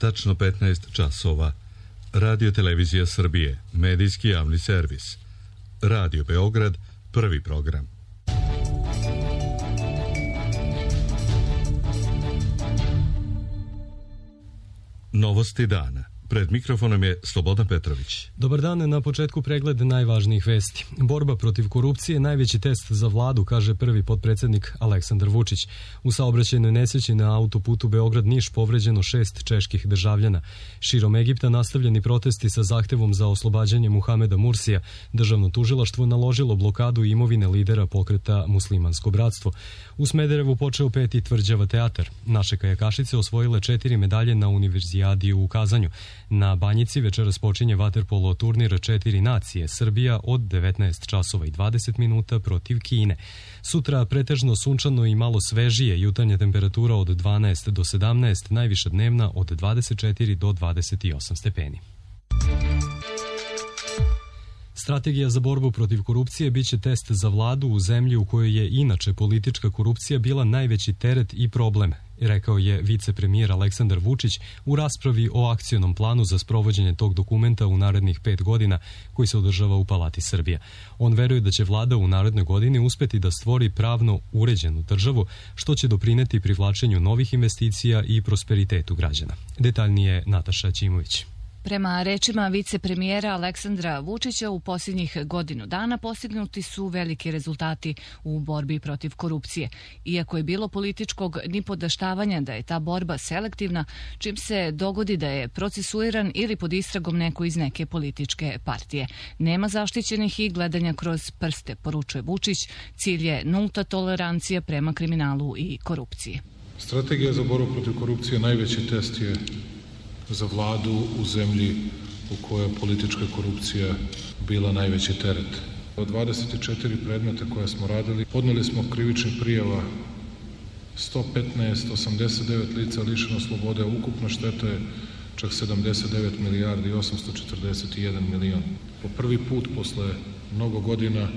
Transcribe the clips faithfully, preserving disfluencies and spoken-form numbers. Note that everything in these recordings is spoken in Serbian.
tačno petnaest časova. Radio Televizija Srbije, medijski javni servis. Radio Beograd, prvi program. Novosti dana. Pred mikrofonom je Slobodan Petrović. Dobar dan, na početku pregled najvažnijih vesti. Borba protiv korupcije je najveći test za vladu, kaže prvi potpredsednik Aleksandar Vučić. U saobraćajnoj nesreći na autoputu Beograd-Niš povređeno šest čeških državljana. Širom Egipta nastavljeni protesti sa zahtevom za oslobađanje Muhameda Mursija. Državno tužilaštvo naložilo blokadu imovine lidera pokreta Muslimansko bratstvo. U Smederevu počeo peti tvrđava teatar. Naše kajakašice osvojile četiri medalje na univerzijadi u Kazanju. Na Banjici večeras počinje vaterpolo turnir četiri nacije, Srbija od devetnaest časova i dvadeset minuta protiv Kine. Sutra pretežno sunčano i malo svežije, jutarnja temperatura od dvanaest do sedamnaest, najviša dnevna od dvadeset četiri do dvadeset osam stepeni. Strategija za borbu protiv korupcije biće test za vladu u zemlji u kojoj je inače politička korupcija bila najveći teret i problem, rekao je vicepremijer Aleksandar Vučić u raspravi o akcionom planu za sprovođenje tog dokumenta u narednih pet godina koji se održava u Palati Srbija. On veruje da će vlada u narednoj godini uspeti da stvori pravno uređenu državu, što će doprineti privlačenju novih investicija i prosperitetu građana. Detaljnije Nataša Ćimović. Prema rečima vicepremijera Aleksandra Vučića, u posljednjih godinu dana postignuti su veliki rezultati u borbi protiv korupcije. Iako je bilo političkog nipodaštavanja da je ta borba selektivna, čim se dogodi da je procesuiran ili pod istragom neko iz neke političke partije. Nema zaštićenih i gledanja kroz prste, poručuje Vučić. Cilj je nulta tolerancija prema kriminalu i korupciji. Strategija za borbu protiv korupcije najveći test je za vladu u zemlji u kojoj je politička korupcija bila najveći teret. Od dvadeset četiri predmeta koje smo radili, podneli smo krivičnih prijava sto petnaest, osamdeset devet lica lišeno slobode, ukupna šteta je čak sedamdeset devet milijardi i osamsto četrdeset jedan milion. Po prvi put posle mnogo godina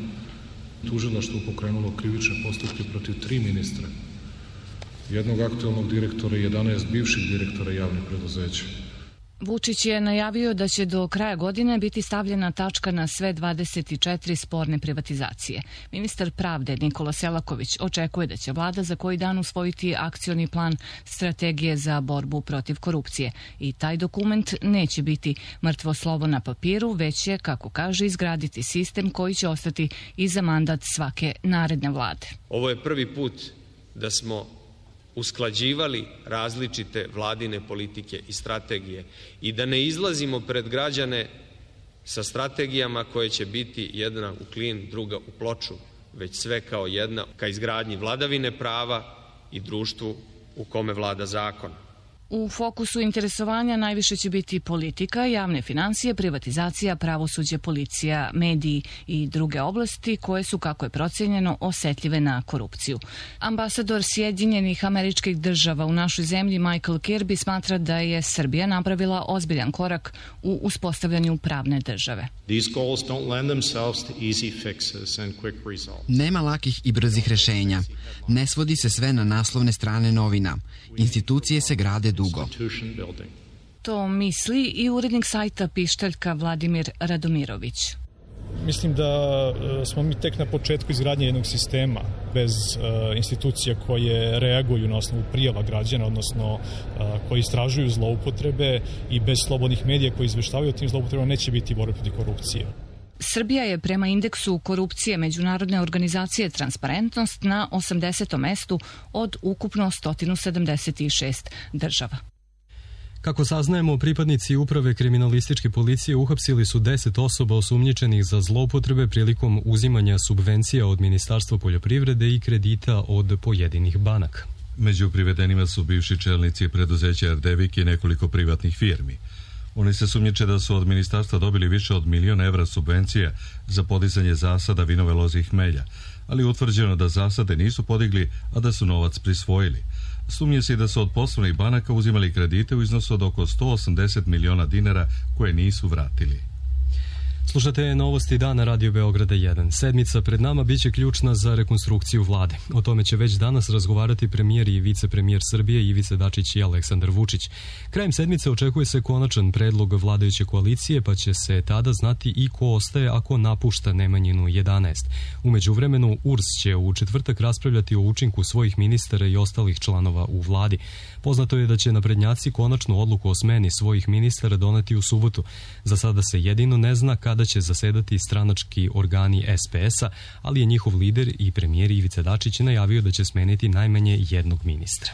tužilaštvo pokrenulo krivične postupke protiv tri ministra, jednog aktualnog direktora i jedanaest bivših direktora javnih preduzeća. Vučić je najavio da će do kraja godine biti stavljena tačka na sve dvadeset četiri sporne privatizacije. Ministar pravde Nikola Selaković očekuje da će vlada za koji dan usvojiti akcioni plan strategije za borbu protiv korupcije. I taj dokument neće biti mrtvo slovo na papiru, već je, kako kaže, izgraditi sistem koji će ostati i za mandat svake naredne vlade. Ovo je prvi put da smo usklađivali različite vladine politike i strategije i da ne izlazimo pred građane sa strategijama koje će biti jedna u klin, druga u ploču, već sve kao jedna ka izgradnji vladavine prava i društvu u kome vlada zakon. U fokusu interesovanja najviše će biti politika, javne financije, privatizacija, pravosuđe, policija, mediji i druge oblasti koje su, kako je procenjeno, osetljive na korupciju. Ambasador Sjedinjenih Američkih Država u našoj zemlji Michael Kirby smatra da je Srbija napravila ozbiljan korak u uspostavljanju pravne države. Nema lakih i brzih rešenja. Ne svodi se sve na naslovne strane novina. Institucije se grade dugo. To misli i urednik sajta Pištaljka Vladimir Radomirović. Mislim da smo mi tek na početku izgradnje jednog sistema bez uh, institucija koje reaguju na osnovu prijava građana, odnosno uh, koji istražuju zloupotrebe, i bez slobodnih medija koji izveštavaju o tim zloupotrebama neće biti borbe protiv korupcije. Srbija je prema indeksu korupcije međunarodne organizacije Transparentnost na osamdesetom mestu od ukupno sto sedamdeset šest država. Kako saznajemo, pripadnici uprave kriminalističke policije uhapsili su deset osoba osumnjičenih za zloupotrebe prilikom uzimanja subvencija od Ministarstva poljoprivrede i kredita od pojedinih banaka. Među privedenima su bivši čelnici preduzeća Erdevik i nekoliko privatnih firmi. Oni se sumnjiče da su od ministarstva dobili više od milion evra subvencija za podizanje zasada vinove loze i hmelja, ali je utvrđeno da zasade nisu podigli, a da su novac prisvojili. Sumnje se i da su od poslovnih banaka uzimali kredite u iznosu od oko sto osamdeset miliona dinara koje nisu vratili. Slušate novosti dana Radio Beograda jedan. Sedmica pred nama biće ključna za rekonstrukciju vlade. O tome će već danas razgovarati premijer i vicepremijer Srbije Ivica Dačić i Aleksandar Vučić. Krajem sedmice očekuje se konačan predlog vladajuće koalicije, pa će se tada znati i ko ostaje ako napušta Nemanjinu jedanaest. U međuvremenu U R S će u četvrtak raspravljati o učinku svojih ministara i ostalih članova u vladi. Poznato je da će naprednjaci konačnu odluku o smeni svojih ministara doneti u subotu. Za sada se jedino ne zna kada će zasedati stranački organi S P S-a, ali je njihov lider i premijer Ivica Dačić najavio da će smeniti najmanje jednog ministra.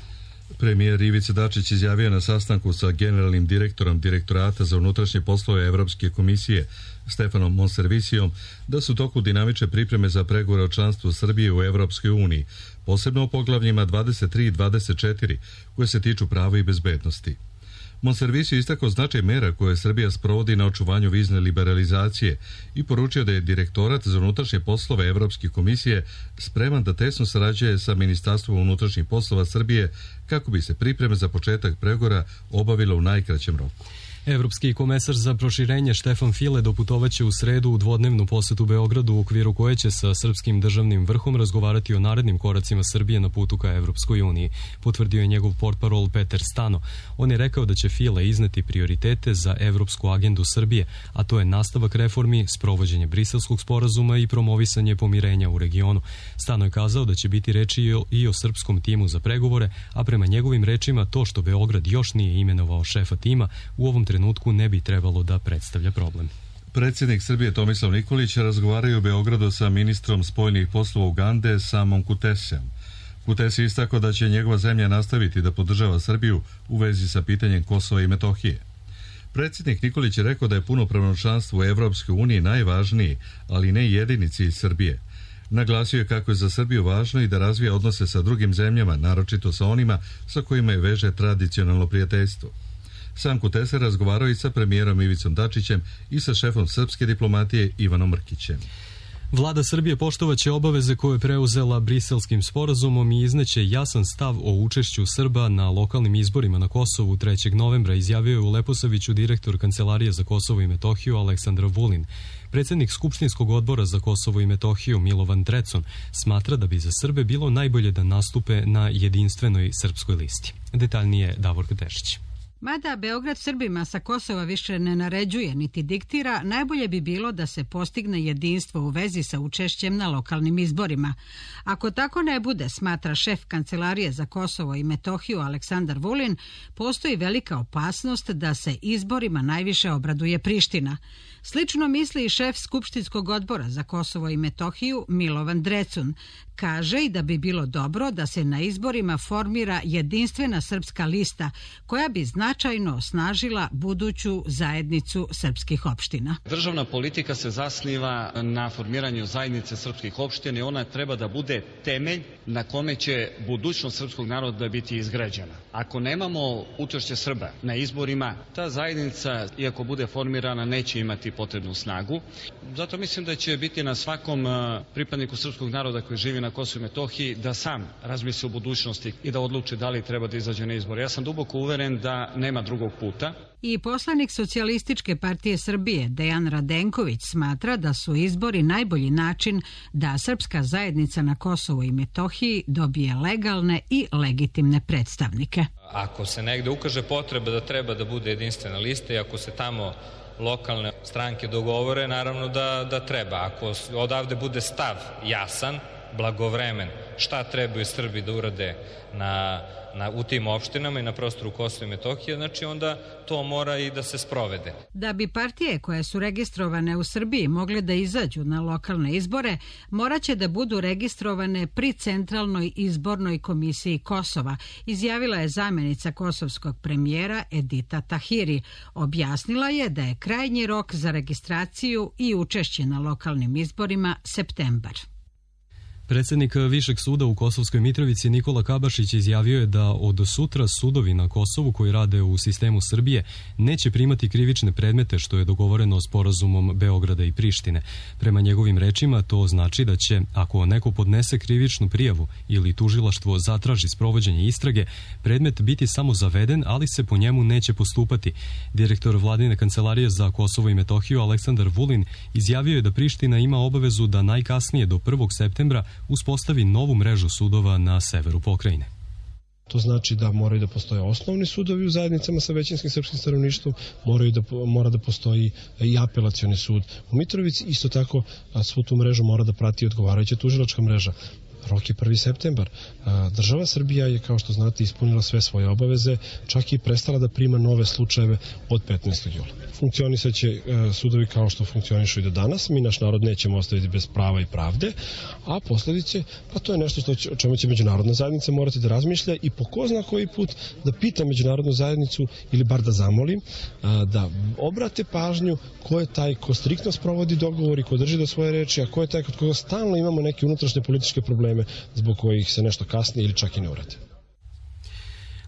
Premijer Ivica Dačić izjavio na sastanku sa generalnim direktorom Direktorata za unutrašnje poslove Evropske komisije Stefanom Monservisijom da su u toku dinamične pripreme za pregovore o članstvu Srbije u Evropskoj uniji, posebno o poglavljima dvadeset tri i dvadeset četiri koje se tiču prava i bezbednosti. Monservisio istakao značaj mera koje Srbija sprovodi na očuvanju vizne liberalizacije i poručio da je Direktorat za unutrašnje poslove Evropske komisije spreman da tesno sarađuje sa Ministarstvom unutrašnjih poslova Srbije kako bi se pripreme za početak pregovora obavilo u najkraćem roku. Evropski komesar za proširenje Štefan File doputovaće u sredu u dvodnevnu posetu Beogradu u okviru koje će sa srpskim državnim vrhom razgovarati o narednim koracima Srbije na putu ka Evropskoj uniji, potvrdio je njegov portparol Peter Stano. On je rekao da će File izneti prioritete za evropsku agendu Srbije, a to je nastavak reformi, sprovođenje Briselskog sporazuma i promovisanje pomirenja u regionu. Stano je kazao da će biti reči i o, i o srpskom timu za pregovore, a prema njegovim rečima to što Beograd još nije imenovao šefa tima u ovom trenutku ne bi trebalo da predstavlja problem. Predsjednik Srbije Tomislav Nikolić razgovaraju u Beogradu sa ministrom spoljnih poslova Ugande Samom Kutesem. Kutes je istakao da će njegova zemlja nastaviti da podržava Srbiju u vezi sa pitanjem Kosova i Metohije. Predsjednik Nikolić je rekao da je punopravno članstvo u Evropskoj uniji najvažniji, ali ne jedini cilj Srbije. Naglasio je kako je za Srbiju važno i da razvija odnose sa drugim zemljama, naročito sa onima sa kojima je veže tradicionalno prijateljstvo. Sam Kutese razgovarao i sa premijerom Ivicom Dačićem i sa šefom srpske diplomatije Ivanom Mrkićem. Vlada Srbije poštovaće obaveze koje je preuzela Briselskim sporazumom i izneće jasan stav o učešću Srba na lokalnim izborima na Kosovu trećeg novembra, izjavio je u Leposaviću direktor Kancelarije za Kosovo i Metohiju Aleksandar Vulin. Predsjednik Skupštinskog odbora za Kosovo i Metohiju Milovan Drecun smatra da bi za Srbe bilo najbolje da nastupe na jedinstvenoj srpskoj listi. Detaljnije Davorka Tešić. Mada Beograd Srbima sa Kosova više ne naređuje niti diktira, najbolje bi bilo da se postigne jedinstvo u vezi sa učešćem na lokalnim izborima. Ako tako ne bude, smatra šef Kancelarije za Kosovo i Metohiju Aleksandar Vulin, postoji velika opasnost da se izborima najviše obraduje Priština. Slično misli i šef Skupštinskog odbora za Kosovo i Metohiju Milovan Drecun. Kaže i da bi bilo dobro da se na izborima formira jedinstvena srpska lista koja bi značajno osnažila buduću zajednicu srpskih opština. Državna politika se zasniva na formiranju zajednice srpskih opština i ona treba da bude temelj na kome će budućnost srpskog naroda biti izgrađena. Ako nemamo učešće Srba na izborima, ta zajednica, iako bude formirana, neće imati potrebnu snagu. Zato mislim da će biti na svakom pripadniku srpskog naroda koji živi na Kosovu i Metohiji da sam razmisli o budućnosti i da odluči da li treba da izađe na izbor. Ja sam duboko uveren da nema drugog puta. I poslanik Socijalističke partije Srbije Dejan Radenković smatra da su izbori najbolji način da srpska zajednica na Kosovu i Metohiji dobije legalne i legitimne predstavnike. Ako se negde ukaže potreba da treba da bude jedinstvena lista i ako se tamo lokalne stranke dogovore, naravno da, da treba. Ako odavde bude stav jasan, blagovremen, šta trebaju Srbi da urade na, na, u tim opštinama i na prostoru Kosova i Metohije, znači onda to mora i da se sprovede. Da bi partije koje su registrovane u Srbiji mogle da izađu na lokalne izbore, moraće da budu registrovane pri Centralnoj izbornoj komisiji Kosova, izjavila je zamjenica kosovskog premijera Edita Tahiri. Objasnila je da je krajnji rok za registraciju i učešće na lokalnim izborima septembar. Predsjednik Višeg suda u Kosovskoj Mitrovici Nikola Kabašić izjavio je da od sutra sudovi na Kosovu koji rade u sistemu Srbije neće primati krivične predmete, što je dogovoreno sporazumom Beograda i Prištine. Prema njegovim rečima to znači da će, ako neko podnese krivičnu prijavu ili tužilaštvo zatraži sprovođenje istrage, predmet biti samo zaveden, ali se po njemu neće postupati. Direktor Vladine kancelarije za Kosovo i Metohiju Aleksandar Vulin izjavio je da Priština ima obavezu da najkasnije do prvog septembra uspostavi novu mrežu sudova na severu pokrajine. To znači da moraju da postoje osnovni sudovi u zajednicama sa većinskim srpskim stanovništvom, moraju da, mora da postoji i apelacioni sud u Mitrovici, isto tako svu tu mrežu mora da prati odgovarajuća tužilačka mreža. Rok je prvi septembar. Država Srbija je, kao što znate, ispunila sve svoje obaveze, čak i prestala da prima nove slučajeve od petnaestog jula. Funkcionisaće sudovi kao što funkcionišu i do danas. Mi naš narod nećemo ostaviti bez prava i pravde, a posledice, pa to je nešto što će, o čemu će međunarodna zajednica morati da razmišlja i po ko zna koji put da pita međunarodnu zajednicu ili bar da zamolim da obrate pažnju ko je taj ko striktno sprovodi dogovor i ko drži do svoje reči, a ko je taj kod koga stalno imamo neke unutrašnje političke probleme zbog kojih se nešto kasni ili čak i ne uradi.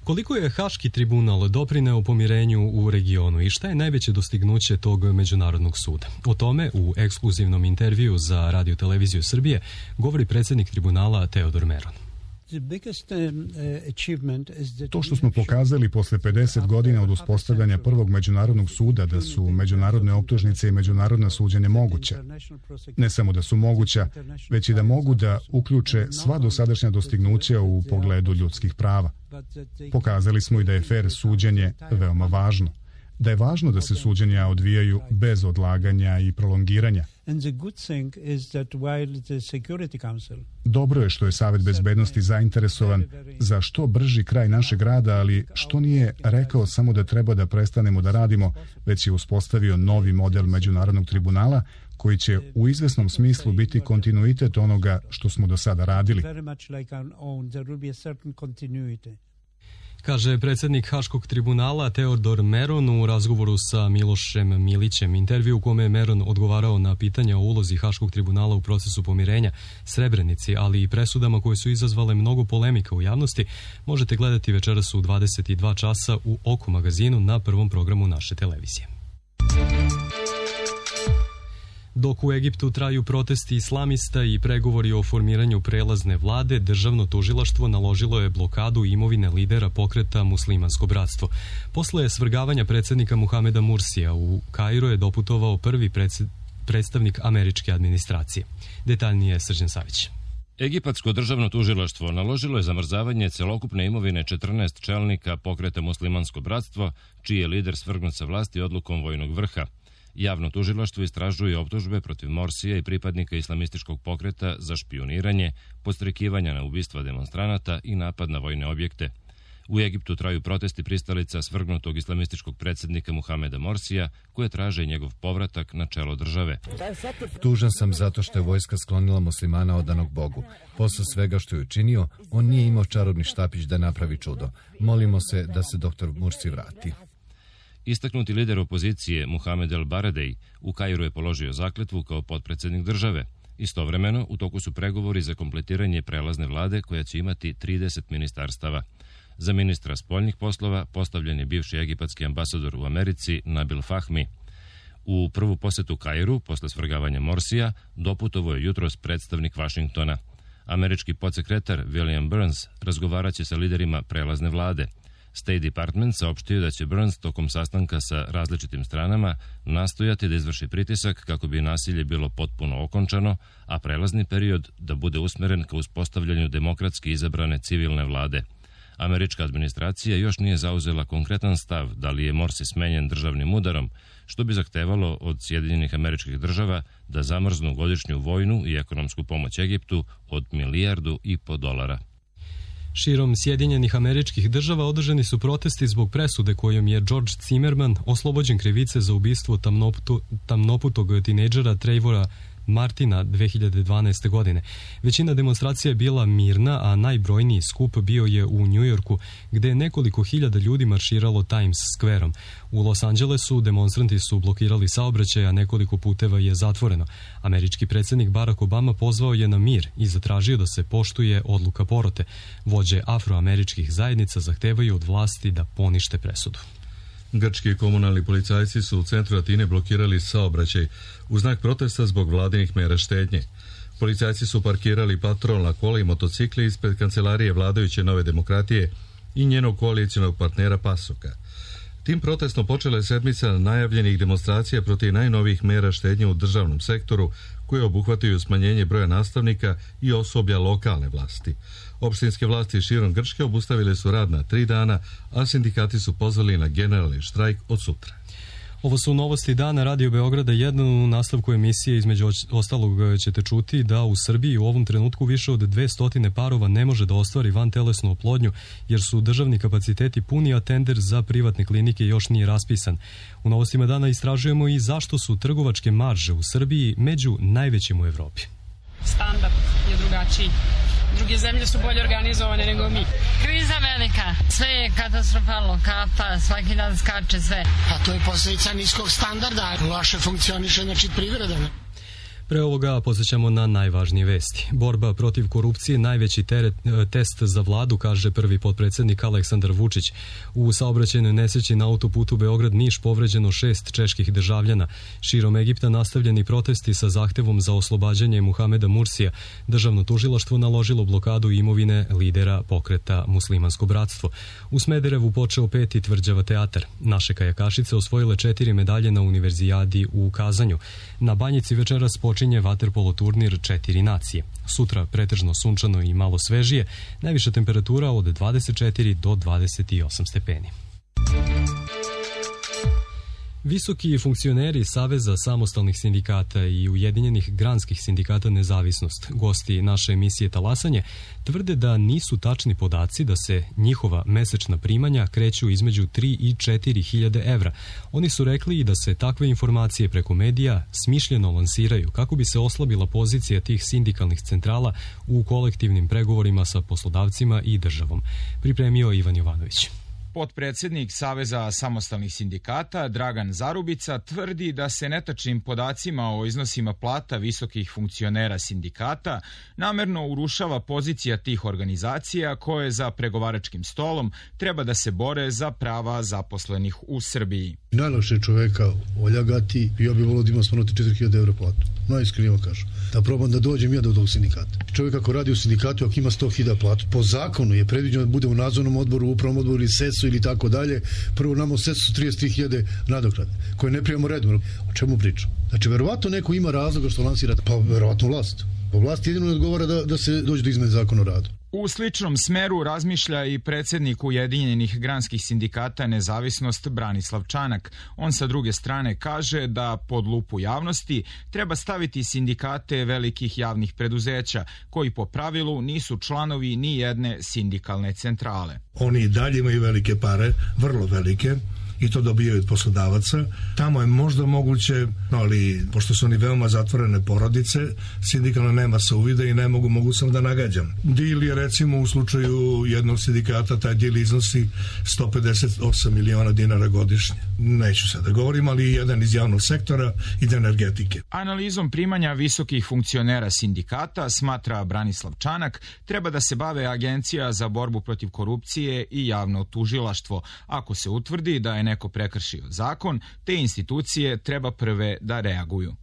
Koliko je Haški tribunal doprineo pomirenju u regionu i šta je najveće dostignuće tog međunarodnog suda? O tome u ekskluzivnom intervju za Radio Televiziju Srbije govori predsjednik tribunala Teodor Meron. To što smo pokazali posle pedeset godina od uspostavljanja prvog međunarodnog suda da su međunarodne optužnice i međunarodna suđenja moguća. Ne samo da su moguća, već i da mogu da uključe sva dosadašnja dostignuća u pogledu ljudskih prava. Pokazali smo i da je fer suđenje veoma važno. Da je važno da se suđenja odvijaju bez odlaganja i prolongiranja. Dobro je što je Savet bezbednosti zainteresovan za što brži kraj našeg rada, ali što nije rekao samo da treba da prestanemo da radimo, već je uspostavio novi model međunarodnog tribunala koji će u izvesnom smislu biti kontinuitet onoga što smo do sada radili. Kaže predsjednik Haškog tribunala Teodor Meron u razgovoru sa Milošem Milićem. Intervju u kome je Meron odgovarao na pitanja o ulozi Haškog tribunala u procesu pomirenja, Srebrenici, ali i presudama koje su izazvale mnogo polemika u javnosti, možete gledati večeras u dvadeset dva časa u Oku magazinu na prvom programu naše televizije. Dok u Egiptu traju protesti islamista i pregovori o formiranju prelazne vlade, državno tužilaštvo naložilo je blokadu imovine lidera pokreta Muslimansko bratstvo. Posle svrgavanja predsjednika Muhameda Mursija u Kairo je doputovao prvi predstavnik američke administracije. Detaljnije Srđan Savić. Egipatsko državno tužilaštvo naložilo je zamrzavanje celokupne imovine četrnaest čelnika pokreta Muslimansko bratstvo, čiji je lider svrgnut sa vlasti odlukom vojnog vrha. Javno tužilaštvo istražuje optužbe protiv Morsija i pripadnika islamističkog pokreta za špijuniranje, podstrekivanja na ubistva demonstranata i napad na vojne objekte. U Egiptu traju protesti pristalica svrgnutog islamističkog predsjednika Muhameda Morsija, koje traže njegov povratak na čelo države. Tužan sam zato što je vojska sklonila muslimana odanog Bogu. Posle svega što je učinio, on nije imao čarobni štapić da napravi čudo. Molimo se da se doktor Mursi vrati. Istaknuti lider opozicije Muhamed El Baradej u Kairu je položio zakletvu kao potpredsjednik države. Istovremeno, u toku su pregovori za kompletiranje prelazne vlade koja će imati trideset ministarstava. Za ministra spoljnih poslova postavljen je bivši egipatski ambasador u Americi Nabil Fahmi. U prvu posetu Kairu, posle svrgavanja Morsija, doputovao je jutros predstavnik Vašingtona. Američki podsekretar William Burns razgovaraće sa liderima prelazne vlade. State Department saopštio da će Burns tokom sastanka sa različitim stranama nastojati da izvrši pritisak kako bi nasilje bilo potpuno okončano, a prelazni period da bude usmeren ka uspostavljanju demokratski izabrane civilne vlade. Američka administracija još nije zauzela konkretan stav da li je Morsi smenjen državnim udarom, što bi zahtevalo od Sjedinjenih Američkih Država da zamrznu godišnju vojnu i ekonomsku pomoć Egiptu od milijardu i po dolara. Širom Sjedinjenih Američkih Država održani su protesti zbog presude kojom je George Zimmerman oslobođen krivice za ubistvo tamnoputu, tamnoputog tinejdžera Trevora Martina dve hiljade dvanaeste. godine. Većina demonstracija je bila mirna, a najbrojniji skup bio je u Njujorku, gde je nekoliko hiljada ljudi marširalo Times Square-om. U Los Angelesu demonstranti su blokirali saobraćaj, a nekoliko puteva je zatvoreno. Američki predsjednik Barack Obama pozvao je na mir i zatražio da se poštuje odluka porote. Vođe afroameričkih zajednica zahtevaju od vlasti da ponište presudu. Grčki komunalni policajci su u centru Atine blokirali saobraćaj u znak protesta zbog vladinih mera štednje. Policajci su parkirali patrolna kola i motocikle ispred kancelarije vladajuće Nove demokratije i njenog koalicijonog partnera Pasoka. Tim protestom počela je sedmica najavljenih demonstracija protiv najnovijih mera štednje u državnom sektoru, koje obuhvataju smanjenje broja nastavnika i osoblja lokalne vlasti. Opštinske vlasti širom Grčke obustavile su rad na tri dana, a sindikati su pozvali na generalni štrajk od sutra. Ovo su novosti dana Radio Beograda jedan. U nastavku emisije između ostalog ćete čuti da u Srbiji u ovom trenutku više od dvesta parova ne može da ostvari vantelesnu oplodnju jer su državni kapaciteti puni, a tender za privatne klinike još nije raspisan. U novostima dana istražujemo i zašto su trgovačke marže u Srbiji među najvećim u Evropi. Standard je drugačiji. Druge zemlje su bolje organizovane nego mi. Kriza velika, sve je katastrofalno, kafa, svaki dan skače sve. A to je posljedica niskog standarda, loše funkcioniše, znači privreda. Pre ovoga posjećamo na najvažnije vesti. Borba protiv korupcije najveći teret, test za vladu, kaže prvi potpredsjednik Aleksandar Vučić. U saobraćajnoj nesreći na autoputu Beograd-Niš povređeno šest čeških državljana. Širom Egipta nastavljeni protesti sa zahtevom za oslobađanje Muhameda Mursija. Državno tužilaštvo naložilo blokadu imovine lidera pokreta Muslimansko bratstvo. U Smederevu počeo peti tvrđava teatar. Naše kajakašice osvojile četiri medalje na univerzijadi u Kazanju. Na Banjici večeras počinje vaterpolo turnir četiri nacije. Sutra pretežno sunčano i malo svežije, najviša temperatura od dvadeset četiri do dvadeset osam stepeni. Visoki funkcioneri Saveza samostalnih sindikata i Ujedinjenih granskih sindikata Nezavisnost, gosti naše emisije Talasanje, tvrde da nisu tačni podaci da se njihova mesečna primanja kreću između tri i četiri hiljade evra. Oni su rekli i da se takve informacije preko medija smišljeno lansiraju kako bi se oslabila pozicija tih sindikalnih centrala u kolektivnim pregovorima sa poslodavcima i državom. Pripremio Ivan Jovanović. Potpredsjednik Saveza samostalnih sindikata Dragan Zarubica tvrdi da se netačnim podacima o iznosima plata visokih funkcionera sindikata namerno urušava pozicija tih organizacija koje za pregovaračkim stolom treba da se bore za prava zaposlenih u Srbiji. Najlakše čoveka oljagati i ja bih volio da ima spomenuti četiri hiljade evra platu. Najiskrenije kažu. Da probam da dođem ja do tog sindikata. Čovjek ako radi u sindikatu, ako ima sto hiljada platu, po zakonu je predviđeno da bude u nadzornom odboru, upravnom odboru ili sesu ili tako dalje. Prvo nam u sesu su trideset tri hiljade nadoknade, koje ne primamo redom. O čemu pričam? Znači, verovatno neko ima razloga što lansira, pa verovatno vlast. Pa vlast jedino ne odgovara da, da se dođe do izmene zakona o radu. U sličnom smeru razmišlja i predsjednik Ujedinjenih granskih sindikata Nezavisnost Branislav Čanak. On sa druge strane kaže da pod lupu javnosti treba staviti sindikate velikih javnih preduzeća, koji po pravilu nisu članovi ni jedne sindikalne centrale. Oni i dalje imaju velike pare, vrlo velike, i to dobijaju od poslodavaca. Tamo je možda moguće, ali pošto su oni veoma zatvorene porodice, sindikalno nema se uvida i ne mogu, mogu sam da nagađam. Dil je recimo u slučaju jednog sindikata, taj dil iznosi sto pedeset osam miliona dinara godišnje. Neću sad da govorim, ali jedan iz javnog sektora i da energetike. Analizom primanja visokih funkcionera sindikata, smatra Branislav Čanak, treba da se bave Agencija za borbu protiv korupcije i javno tužilaštvo. Ako se utvrdi da je neko prekršio zakon, te institucije treba prve da reaguju.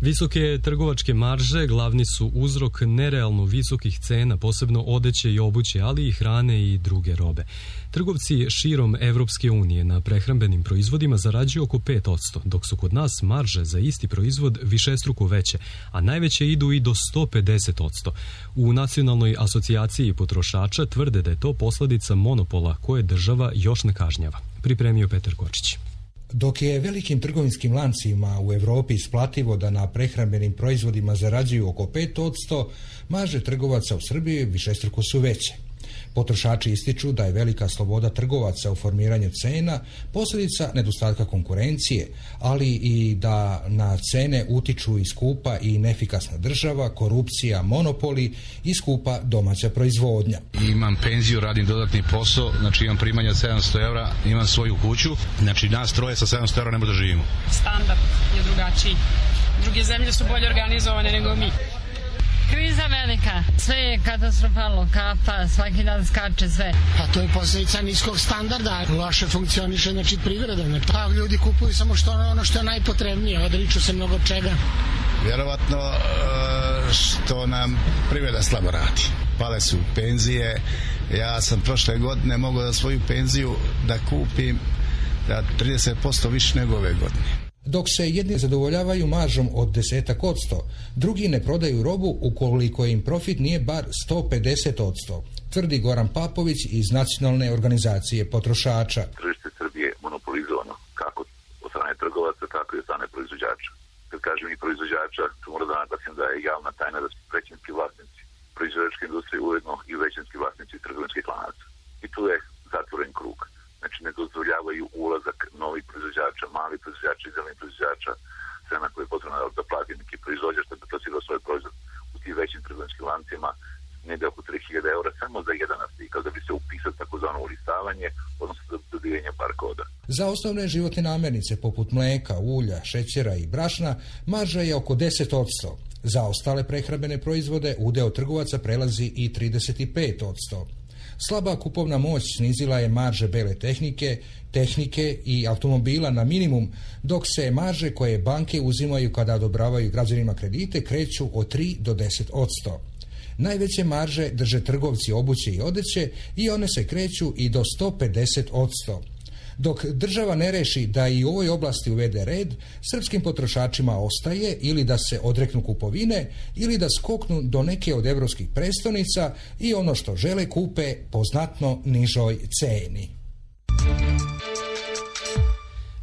Visoke trgovačke marže glavni su uzrok nerealno visokih cena, posebno odeće i obuće, ali i hrane i druge robe. Trgovci širom Evropske unije na prehrambenim proizvodima zarađuju oko pet posto, dok su kod nas marže za isti proizvod višestruko veće, a najveće idu i do sto pedeset posto. U Nacionalnoj asocijaciji potrošača tvrde da je to posljedica monopola koje država još ne kažnjava. Pripremio Petar Kočić. Dok je velikim trgovinskim lancima u Evropi isplativo da na prehrambenim proizvodima zarađuju oko pet posto, marže trgovaca u Srbiji višestruko su veće. Potrošači ističu da je velika sloboda trgovaca u formiranju cena posljedica nedostatka konkurencije, ali i da na cene utiču i skupa i neefikasna država, korupcija, monopoli i skupa domaća proizvodnja. Imam penziju, radim dodatni posao, znači imam primanje od sedamsto evra, imam svoju kuću, znači nas troje sa sedamsto evra ne možda živimo. Standard je drugačiji. Druge zemlje su bolje organizovane nego mi. Kriza velika, sve je katastrofalno, kafa, svaki dan skače sve. Pa to je posljedica niskog standarda, loše funkcioniše znači privreda. Pa ljudi kupuju samo što ono što je najpotrebnije, odriču se mnogo čega. Vjerovatno što nam privreda slabo radi. Pale su penzije, ja sam prošle godine mogao da svoju penziju da kupim da trideset posto više nego ove godine. Dok se jedni zadovoljavaju maržom od desetak odsto, drugi ne prodaju robu ukoliko im profit nije bar sto pedeset odsto, tvrdi Goran Papović iz Nacionalne organizacije potrošača. Tržište Srbije je monopolizovano kako od strane trgovaca, tako i od strane proizvođača. Kad kažem i proizvođača, tu moram da naglasim da je javna tajna da su većinski vlasnici proizvođačke industrije ujedno i većinski vlasnici trgovinskih lanaca. I tu je zatvoren krug. Znači ne dozvoljavaju ulazak novih proizvođača, malih proizvođača i zelenih proizvođača, cena koja je potrebna da plati neki proizvođač da bi plasirao svoj proizvod u tim većim trgovinskim lancima negde oko tri hiljade eura samo za jedan artikal da bi se upisao takozvano ulistavanje, odnosno dobivanje barkoda. Za osnovne životne namirnice poput mleka, ulja, šećera i brašna marža je oko deset odsto. Za ostale prehrambene proizvode udeo trgovaca prelazi i trideset pet odsto. Slaba kupovna moć snizila je marže bele tehnike, tehnike i automobila na minimum, dok se marže koje banke uzimaju kada odobravaju građanima kredite kreću od tri do deset odsto. Najveće marže drže trgovci obuće i odeće i one se kreću i do sto pedeset odsto. Dok država ne reši da i u ovoj oblasti uvede red, srpskim potrošačima ostaje ili da se odreknu kupovine ili da skoknu do neke od evropskih prestolnica i ono što žele kupe po znatno nižoj ceni.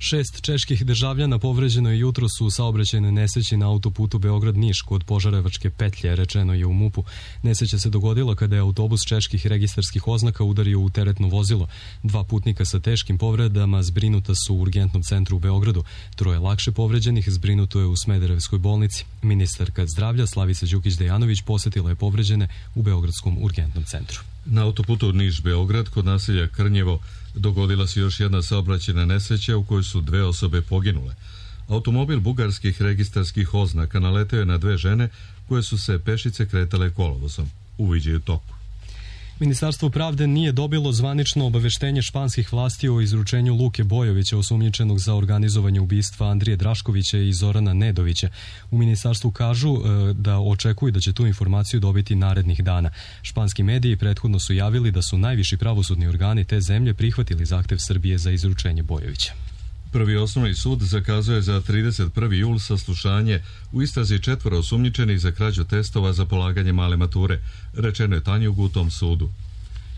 Šest čeških državljana povređeno je jutros u saobraćajnoj nesreći na autoputu Beograd-Niš kod Požarevačke petlje, rečeno je u MUP-u. Nesreća se dogodila kada je autobus čeških registarskih oznaka udario u teretno vozilo. Dva putnika sa teškim povredama zbrinuta su u urgentnom centru u Beogradu. Troje lakše povređenih zbrinuto je u Smederevskoj bolnici. Ministarka zdravlja Slavica Đukić-Dejanović posetila je povređene u Beogradskom urgentnom centru. Na autoputu Niš-Beograd kod naselja Krnjevo dogodila se još jedna saobraćajna nesreća u kojoj su dve osobe poginule. Automobil bugarskih registarskih oznaka naleteo je na dve žene koje su se pešice kretale kolovozom. Uviđaju toku. Ministarstvo pravde nije dobilo zvanično obaveštenje španskih vlasti o izručenju Luke Bojovića, osumnjičenog za organizovanje ubistva Andrije Draškovića i Zorana Nedovića. U ministarstvu kažu e, da očekuju da će tu informaciju dobiti narednih dana. Španski mediji prethodno su javili da su najviši pravosudni organi te zemlje prihvatili zahtev Srbije za izručenje Bojovića. Prvi osnovni sud zakazao je za trideset prvi jul saslušanje u istrazi četvora osumnjičenih za krađu testova za polaganje male mature, rečeno je Tanjugu u tom sudu.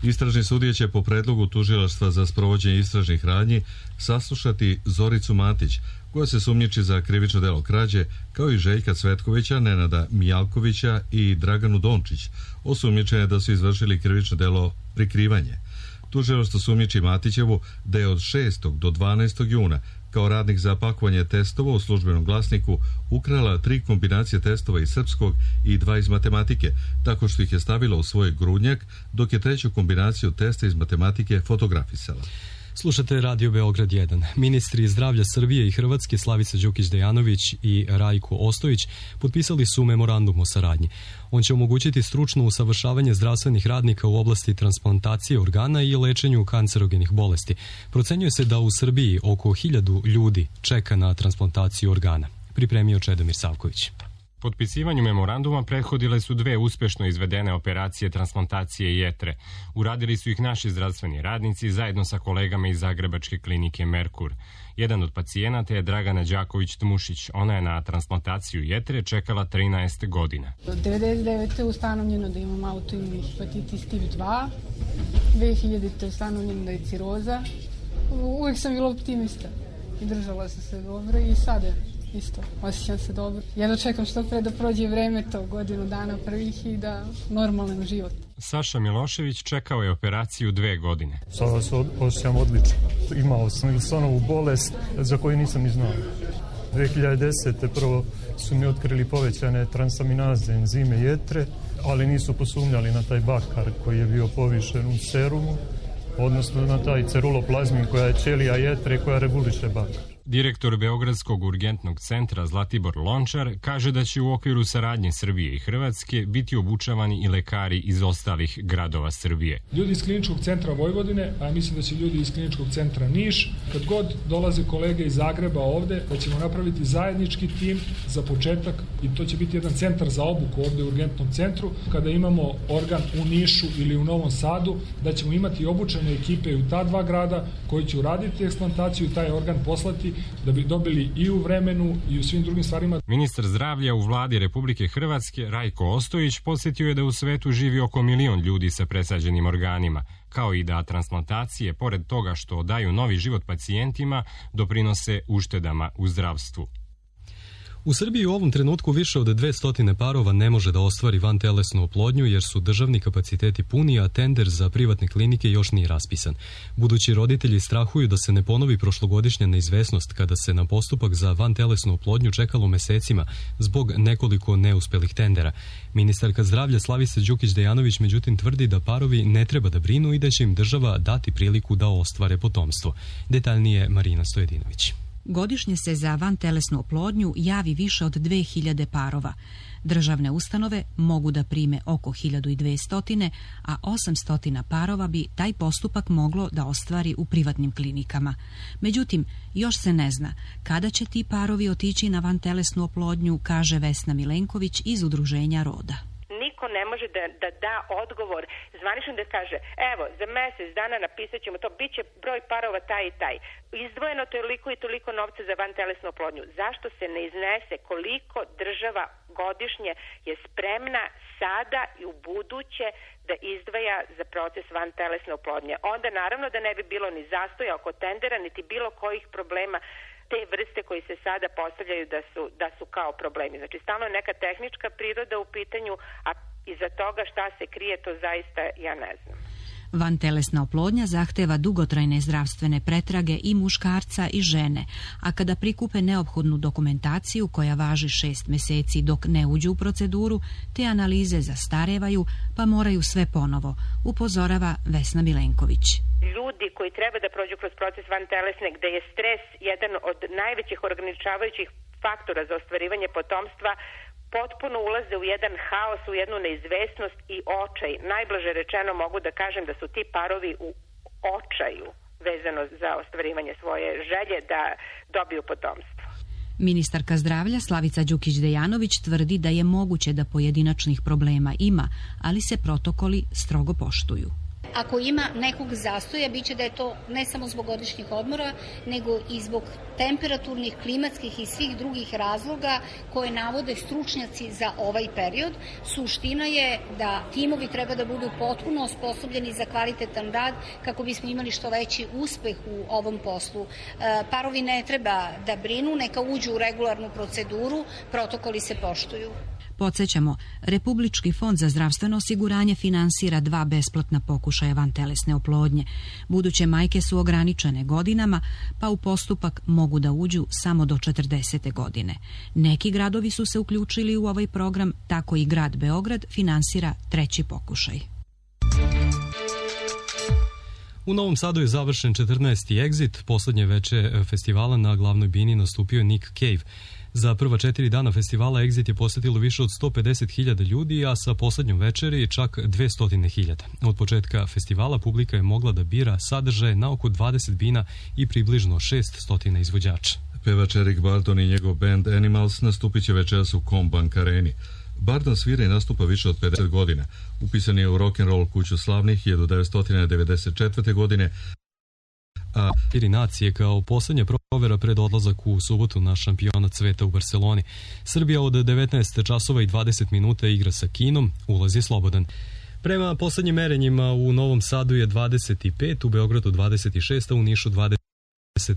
Istražni sudije će po predlogu tužilaštva za sprovođenje istražnih radnji saslušati Zoricu Matić, koja se sumnjiči za krivično delo krađe, kao i Željka Cvetkovića, Nenada Mijalkovića i Draganu Dončić, osumnjičene da su izvršili krivično delo prikrivanje. Tužilaštvo sumnjiči Matićevu da je od šestog do dvanaestog juna kao radnik za pakovanje testova u Službenom glasniku ukrala tri kombinacije testova iz srpskog i dva iz matematike, tako što ih je stavila u svoj grudnjak, dok je treću kombinaciju testa iz matematike fotografisala. Slušate Radio Beograd jedan. Ministri zdravlja Srbije i Hrvatske Slavica Đukić-Dejanović i Rajko Ostojić potpisali su memorandum o saradnji. On će omogućiti stručno usavršavanje zdravstvenih radnika u oblasti transplantacije organa i lečenju kancerogenih bolesti. Procenjuje se da u Srbiji oko hiljadu ljudi čeka na transplantaciju organa. Pripremio Čedomir Savković. Potpisivanju memoranduma prethodile su dve uspešno izvedene operacije transplantacije jetre. Uradili su ih naši zdravstveni radnici zajedno sa kolegama iz Zagrebačke klinike Merkur. Jedan od pacijenata je Dragana Đaković-Tmušić. Ona je na transplantaciju jetre čekala trinaest godina. devedeset devete ustanovljeno da imam autoimuni hepatitis tip dva, dve hiljadite ustanovljeno da je ciroza. Uvijek sam bila optimista i držala sam se dobro i sada isto, osjećam se dobro. Jedno čekam što pre da prođe vreme to, godinu dana prvih i da normalan život. Saša Milošević čekao je operaciju dve godine. Sada se osjećam odlično. Imao sam Wilsonovu bolest za koju nisam ni znao. dve hiljade desete. prvo su mi otkrili povećane transaminaze enzime jetre, ali nisu posumnjali na taj bakar koji je bio povišen u serumu, odnosno na taj ceruloplazmin koja je ćelija jetre koja reguliše bakar. Direktor Beogradskog urgentnog centra Zlatibor Lončar kaže da će u okviru saradnje Srbije i Hrvatske biti obučavani i lekari iz ostalih gradova Srbije. Ljudi iz kliničkog centra Vojvodine, a mislim da će ljudi iz kliničkog centra Niš, kad god dolaze kolege iz Zagreba ovde, da ćemo napraviti zajednički tim za početak i to će biti jedan centar za obuku ovde u urgentnom centru. Kada imamo organ u Nišu ili u Novom Sadu, da ćemo imati obučene ekipe u ta dva grada koji će uraditi eksplantaciju i taj organ poslati da bi dobili i u vremenu i u svim drugim stvarima. Ministar zdravlja u vladi Republike Hrvatske Rajko Ostojić podsjetio je da u svetu živi oko milion ljudi sa presađenim organima, kao i da transplantacije, pored toga što daju novi život pacijentima, doprinose uštedama u zdravstvu. U Srbiji u ovom trenutku više od dvesta parova ne može da ostvari vantelesnu oplodnju jer su državni kapaciteti puni, a tender za privatne klinike još nije raspisan. Budući roditelji strahuju da se ne ponovi prošlogodišnja neizvesnost kada se na postupak za vantelesnu oplodnju čekalo mesecima zbog nekoliko neuspelih tendera. Ministarka zdravlja Slavica Đukić-Dejanović međutim tvrdi da parovi ne treba da brinu i da će im država dati priliku da ostvare potomstvo. Detaljnije Marina Stojedinović. Godišnje se za vantelesnu oplodnju javi više od dve hiljade parova. Državne ustanove mogu da prime oko hiljadu dvesta, a osamsto parova bi taj postupak moglo da ostvari u privatnim klinikama. Međutim, još se ne zna kada će ti parovi otići na vantelesnu oplodnju, kaže Vesna Milenković iz Udruženja Roda. Niko ne može da, da da odgovor zvanično da kaže evo, za mesec dana napisat ćemo to, bit će broj parova taj i taj. Izdvojeno toliko i toliko novca za vantelesnu oplodnju. Zašto se ne iznese koliko država godišnje je spremna sada i u buduće da izdvaja za proces vantelesne oplodnje? Onda naravno da ne bi bilo ni zastoja oko tendera, niti bilo kojih problema te vrste koji se sada postavljaju da su, da su kao problemi. Znači, stalno je neka tehnička priroda u pitanju, a iza toga šta se krije, to zaista ja ne znam. Vantelesna oplodnja zahteva dugotrajne zdravstvene pretrage i muškarca i žene, a kada prikupe neophodnu dokumentaciju koja važi šest meseci dok ne uđu u proceduru, te analize zastarevaju pa moraju sve ponovo, upozorava Vesna Milenković. Ljudi koji treba da prođu kroz proces vantelesne, gde je stres jedan od najvećih ograničavajućih faktora za ostvarivanje potomstva, potpuno ulaze u jedan haos, u jednu neizvesnost i očaj. Najblaže rečeno mogu da kažem da su ti parovi u očaju vezano za ostvarivanje svoje želje da dobiju potomstvo. Ministarka zdravlja Slavica Đukić-Dejanović tvrdi da je moguće da pojedinačnih problema ima, ali se protokoli strogo poštuju. Ako ima nekog zastoja, bit će da je to ne samo zbog godišnjih odmora, nego i zbog temperaturnih, klimatskih i svih drugih razloga koje navode stručnjaci za ovaj period. Suština je da timovi treba da budu potpuno osposobljeni za kvalitetan rad kako bismo imali što veći uspeh u ovom poslu. Parovi ne treba da brinu, neka uđu u regularnu proceduru, protokoli se poštuju. Podsjećamo, Republički fond za zdravstveno osiguranje finansira dva besplatna pokušaja vantelesne oplodnje. Buduće majke su ograničene godinama, pa u postupak mogu da uđu samo do četrdesete godine. Neki gradovi su se uključili u ovaj program, tako i grad Beograd finansira treći pokušaj. U Novom Sadu je završen četrnaesti Exit, poslednje veče festivala na glavnoj bini nastupio je Nick Cave. Za prva četiri dana festivala Exit je posetilo više od sto pedeset hiljada ljudi, a sa poslednjom večeri čak dvesta hiljada. Od početka festivala publika je mogla da bira sadržaje na oko dvadeset bina i približno šeststo izvođača. Pevač Eric Burdon i njegov band Animals nastupit će večeras u Combank areni. Burdon svira i nastupa više od pedeset godina. Upisan je u rock'n'roll kuću slavnih hiljadu devetsto devedeset četvrte. godine, a iri nacije kao poslednja provera pred odlazak u subotu na šampionat sveta u Barceloni. Srbija od devetnaest časova i dvadeset minuta igra sa Kinom, ulaz je slobodan. Prema poslednjim merenjima u Novom Sadu je dvadeset pet, u Beogradu dvadeset šest, a u Nišu dvadeset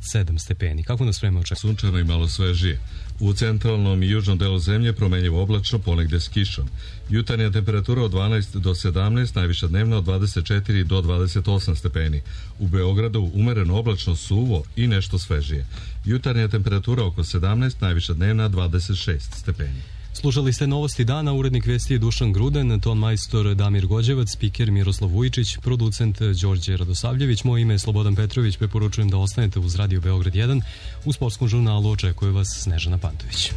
sedam stepeni. Kako nas vreme očekuje? Sunčano i malo svežije. U centralnom i južnom delu zemlje promenljivo oblačno, ponegde s kišom. Jutarnja temperatura od dvanaest do sedamnaest, najviša dnevna od dvadeset četiri do dvadeset osam stepeni. U Beogradu umereno oblačno, suvo i nešto svežije. Jutarnja temperatura oko sedamnaest, najviša dnevna dvadeset šest stepeni. Slušali ste Novosti dana, urednik vesti je Dušan Gruden, ton majstor Damir Gođevac, spiker Miroslav Vujičić, producent Đorđe Radosavljević. Moje ime je Slobodan Petrović, preporučujem da ostanete uz Radio Beograd jedan. U sportskom žurnalu očekuje vas Snežana Pantović.